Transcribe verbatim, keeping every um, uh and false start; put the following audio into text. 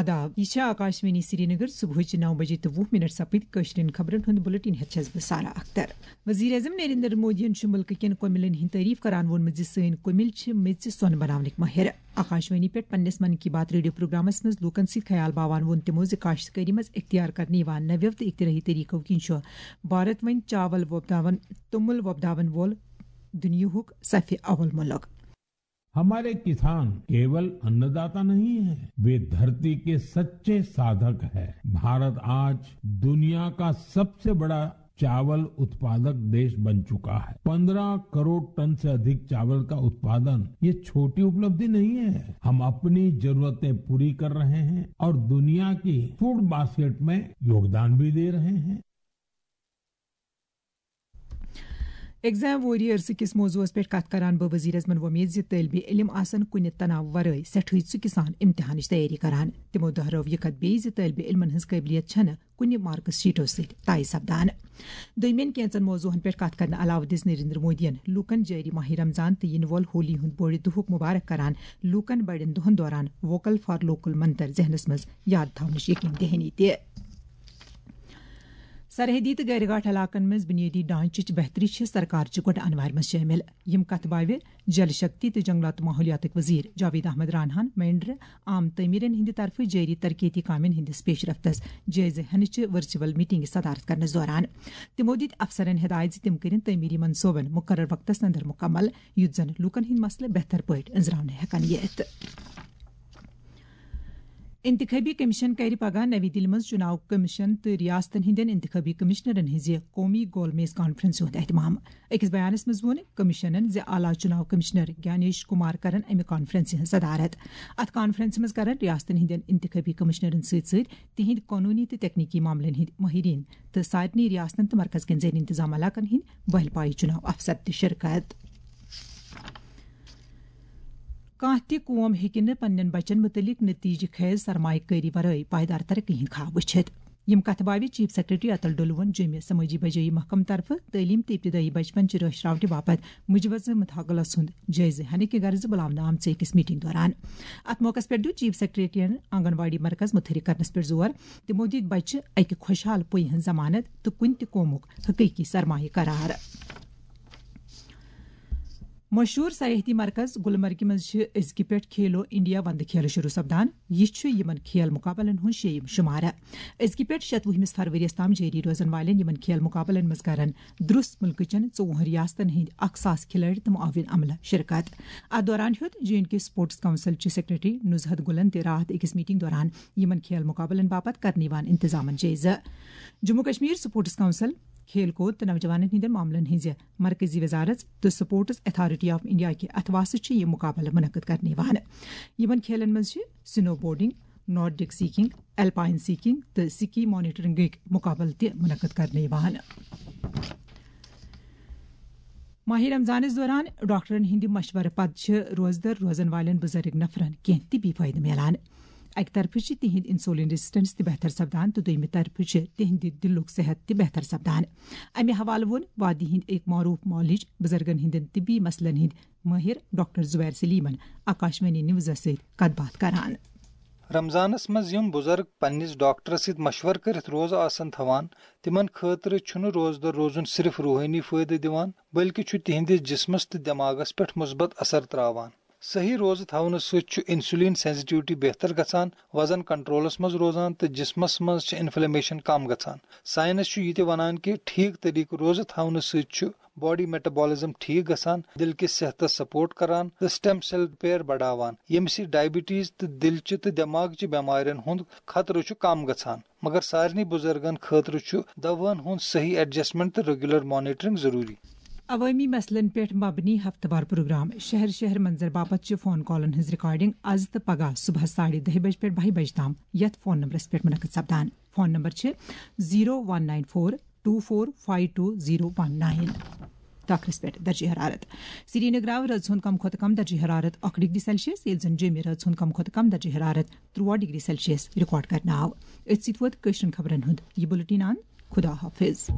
آداب، یہِ چھِ آکاشوانی سرینگر۔ صبحٕچہِ نَو بجے تہٕ وُہ منٹ سپٕدۍ۔ کٲشرٮ۪ن خبرن ہُنٛد بُلٹن ہٮ۪تھ چھَس بہٕ سارا اختر۔ وزیر اعظم نریندر مودیَن چھُ مُلکہٕ کٮ۪ن کۄمِلٮ۪ن ہٕنٛدۍ تعریف کران ووٚنمُت زِ سٲنۍ کۄمِلۍ چھِ میٚژِ سۄن بناونٕکۍ مٲہِر۔ آکاشوانی پٮ۪ٹھ پننِس من کی بات ریڈیو پروگرامس منٛز لوٗکن سۭتۍ خیال باوان ووٚن تِمو زِ کاشتکٲری منٛز اختیار کرنہٕ یِوان نویو تہٕ اختراعی طریقو کِنۍ چھُ بھارت وۄنۍ چاول وۄپداون، توٚمُل وۄپداون وول دُنیاہُک صفِ اول مُلک۔ ہمارے کسان کیول انّداتا نہیں ہے، وے دھرتی کے سچے سادھک ہے۔ بھارت آج دنیا کا سب سے بڑا چاول उत्पादक देश बन चुका है। पन्द्रह करोड़ टन से अधिक चावल का उत्पादन, ये छोटी उपलब्धि नहीं है। हम अपनी जरूरतें पूरी कर रहे हैं और दुनिया की फूड बास्केट में योगदान भी दे रहे हैं। ایگزام واریر کِس موضوعس پٮ۪ٹھ کتھ کران بہٕ وزیر اعظمن وۄمید زِ طٲلبِ علم آسن کُنہِ تناو ورٲے سٮ۪ٹھٕے ژُکہِ سان امتحانٕچ تیٲری کران۔ تِمو دۄہرٲو یہِ کتھ بیٚیہِ زِ طٲلبِ علمن ہٕنٛز قٲبلیت چھنہٕ کُنہِ مارکس شیٹو سۭتۍ طے سپدان۔ دوٚیمٮ۪ن کینٛژن موضوعن پٮ۪ٹھ کتھ کرنہٕ علاوٕ دِژ نریندر مودیَن لوٗکن جٲری ماہِ رمضان تہٕ یِنہٕ وول ہولی ہُنٛد بوٚڑِ دۄہُک مبارک کران لوٗکن بڑٮ۪ن دۄہن دوران ووکل فار لوکل منتر ذہنس منٛز یاد تھاونٕچ یقین دہانی تہِ۔ سرحدی تہٕ غٲر گاٹھ علاقن منٛز بنیٲدی ڈھانچٕچ بہتری چھِ سرکارچہِ گۄڈٕ انوارِ منٛز شٲمِل۔ یِم کتھٕ باوِ جل شکتی تہٕ جنگلات تہٕ ماحولیاتٕکۍ وزیر جاوید احمد راناہن مینڈر عام تعمیرن ہٕنٛدِ طرفہٕ جٲری ترقیتی کامٮ۪ن ہٕنٛدِس پیش رفتس جٲیزٕ ہینٕچہِ ورچوئل میٹنگہِ صدارت کرنس دوران۔ تِمو دِتۍ افسرن ہدایت زِ تِم کٔرِن تعمیری منصوبن مقرر وقتس اندر مکمل، یُتھ زن لوٗکن ہٕنٛدۍ مسلہٕ بہتر پٲٹھۍ أنٛزراونہٕ ہٮ۪کن یِتھ۔ انتخابی کمیشن کرِ پگاہ نَوِ دِلہِ منٛز چُناو کمیشن تہٕ ریاستن ہٕنٛدٮ۪ن انتخابی کمشنرن ہٕنٛزِ قومی گول میز کانفرنسہِ ہُنٛد اہتمام۔ أکِس بیانس منٛز ووٚن کمیشنن زِ اعلیٰ چُناو کمشنر گیانیش کمار کرن امہِ کانفرنسہِ ہٕنٛز صدارت۔ اتھ کانفرنسہِ منٛز کرن ریاستن ہٕنٛدٮ۪ن انتخابی کمشنرن سۭتۍ سۭتۍ تِہنٛدۍ قونوٗنی تہٕ تکنیکی معاملن ہٕنٛدۍ مٲہریٖن تہٕ سارنٕے ریاستن تہٕ مرکز کٮ۪ن زیر انتظام علاقن ہٕنٛدۍ بہل پایہِ چُناو افسر تہِ شرکت۔ کانٛہہ تہِ قوم ہیٚکہِ نہٕ پننٮ۪ن بچن مُتعلق نتیجہٕ خیز سرمایہ کٲری ورٲے پائیدار ترقی ہٕنٛدۍ خواب وٕچھِتھ۔ یِم کتھٕ باوِ چیف سیکرٹری اتل ڈولوَن جوٚمہِ سمٲجی بجٲیی محکمہٕ طرفہٕ تعلیٖم تہٕ ابتدٲیی بچپن چہِ رٲچھ راوٹہِ باپتھ مُجوزٕ مُداخلس ہُنٛد جٲیزٕ ہینہٕ کہِ غرضہٕ بُلاونہٕ آمژٕ أکِس میٹنگ دوران۔ اتھ موقعس پٮ۪ٹھ دیُت چیف سیکرٹریَن آنگن واڑی مرکز متحرک کرنس پٮ۪ٹھ زور۔ تِمو دِتۍ بچہِ اکہِ خۄشحال پُیہِ ہٕنٛز ضمانت تہٕ کُنہِ تہِ قومُک حقیقی سرمایہ قرار۔ مشہوٗر سیاحتی مرکز گلمرگہِ منٛز چھِ أزکہِ پٮ۪ٹھ کھیلو انڈیا وندٕ کھیلہٕ شروع سپدان۔ یہِ چھُ یِمن کھیل مُقابلن ہُنٛد شیٚیِم شُمارٕ۔ أزکہِ پٮ۪ٹھ شتوُہمِس فروریَس تام جٲری روزن والٮ۪ن یِمن کھیل مُقابلن منٛز کرن درُس مُلکہٕ چٮ۪ن ژوٚوُہن ریاستن ہٕنٛدۍ اکھ ساس کھلٲڑۍ تہٕ معاون عملہٕ شرکت۔ اتھ دوران ہیوٚت J and K sports council چہِ سیکرٹری نزہت گلن تہِ راتھ أکِس میٹنگ دوران یِمن کھیل مُقابلن باپتھ کرنہٕ یِوان انتظامن جٲیزٕ۔ جموں کشمیر سپورٹس کونسل، کھیل کود تہٕ نوجوانن ہٕنٛدٮ۪ن معاملن ہٕنٛزِ مرکزی وزارت تہٕ سپورٹس اتھارٹی آف انڈیا کہِ اتھواسہٕ چھِ یہِ مُقابلہٕ منعقد کرنہٕ یِوان۔ یِمن کھیلن منٛز چھِ سنو بورڈنگ، نارڈک سکیئنگ، الپائن سکیئنگ تہٕ سکی ماؤنٹینئرنگٕکۍ مُقابلہٕ تہِ منعقد کرنہٕ یِوان۔ ماہِ رمضانس دوران ڈاکٹرن ہٕنٛدِ مشورٕ پتہٕ چھِ روزدر روزن والٮ۪ن بُزرگ نفرن کینٛہہ طبی فٲیدٕ میلان۔ اکہِ طرفہٕ چھِ تِہنٛد انسولین ریزسٹنس تہِ بہتر سپدان تہٕ دوٚیمہِ طرفہٕ چھِ تِہنٛدِ دِلُک صحت تہِ بہتر سپدان۔ امہِ حوالہٕ ووٚن وادی ہٕنٛدۍ أکۍ معروف معالج بُزرگن ہٕنٛدٮ۪ن طبی مسلن ہٕنٛدۍ مٲہِر ڈاکٹر زبیر سلیمن آکاشوانی نیوزس سۭتۍ کتھ باتھ کران۔ رمضانس منٛز یِم بُزرگ پننِس ڈاکٹرس سۭتۍ مشورٕ کٔرِتھ روزٕ آسن تھاوان، تِمن خٲطرٕ چھُنہٕ روزدر روزُن صرف روحٲنی فٲیدٕ دِوان، بلکہِ چھُ تِہنٛدِس جسمس تہٕ دٮ۪ماغس پٮ۪ٹھ مثبت اثر تراوان۔ صحیح روزٕ تھاونہٕ سۭتۍ چھُ انسولین سینسٹیوٹی بہتر گژھان، وزن کنٹرولس منٛز روزان تہٕ جسمس منٛز چھِ انفلیمیشن کم گژھان۔ ساینس چھُ یہِ تہِ ونان کہِ ٹھیٖک طریقہٕ روزٕ تھاونہٕ سۭتۍ چھُ باڈی میٹابولزم ٹھیٖک گژھان، دِل کِس صحتس سپورٹ کران تہٕ سٹیم سیل ریپیئر بڑاوان، ییٚمہِ سۭتۍ ڈائبٹیز تہٕ دِلچہِ تہٕ دٮ۪ماغچہِ بٮ۪مارٮ۪ن ہُنٛد خطرٕ چھُ کم گژھان۔ مگر سارنٕے بُزرگن خٲطرٕ چھُ دوہن ہُنٛد صحیح ایڈجسٹمنٹ تہٕ ریگولر مانیٹرنگ ضروٗری۔ عوٲمی مسلن پٮ۪ٹھ مبنی ہفتہٕ وار پروگرام شہر شہر منظر باپتھ چھِ فون کالن ہٕنٛز ریکارڈنگ از تہٕ پگاہ صبحس ساڑِ دَہہِ بجہِ پٮ۪ٹھ بَہہِ بجہِ تام یتھ فون نمبرس پٮ۪ٹھ منعقد سپدان۔ فون نمبر چھِ zero one nine four two four five two zero one nine. ٹاکرس پٮ۪ٹھ درجہ حرارت۔ سرینگر آو رٲژ ہُنٛد کم کھۄتہٕ کم درجہ حرارت اکھ ڈگری سیلسیس، ییٚلہِ زن جوٚمہِ رٲژ ہُنٛد کم کھۄتہٕ کم درجہ حرارت ترٛوہ ڈگری سیلسیس ریکارڈ کرنہٕ آو۔ أتھۍ سۭتۍ ووت کٲشرٮ۪ن خبرن ہُنٛد یہِ بُلٹن اند۔ خدا حافظ۔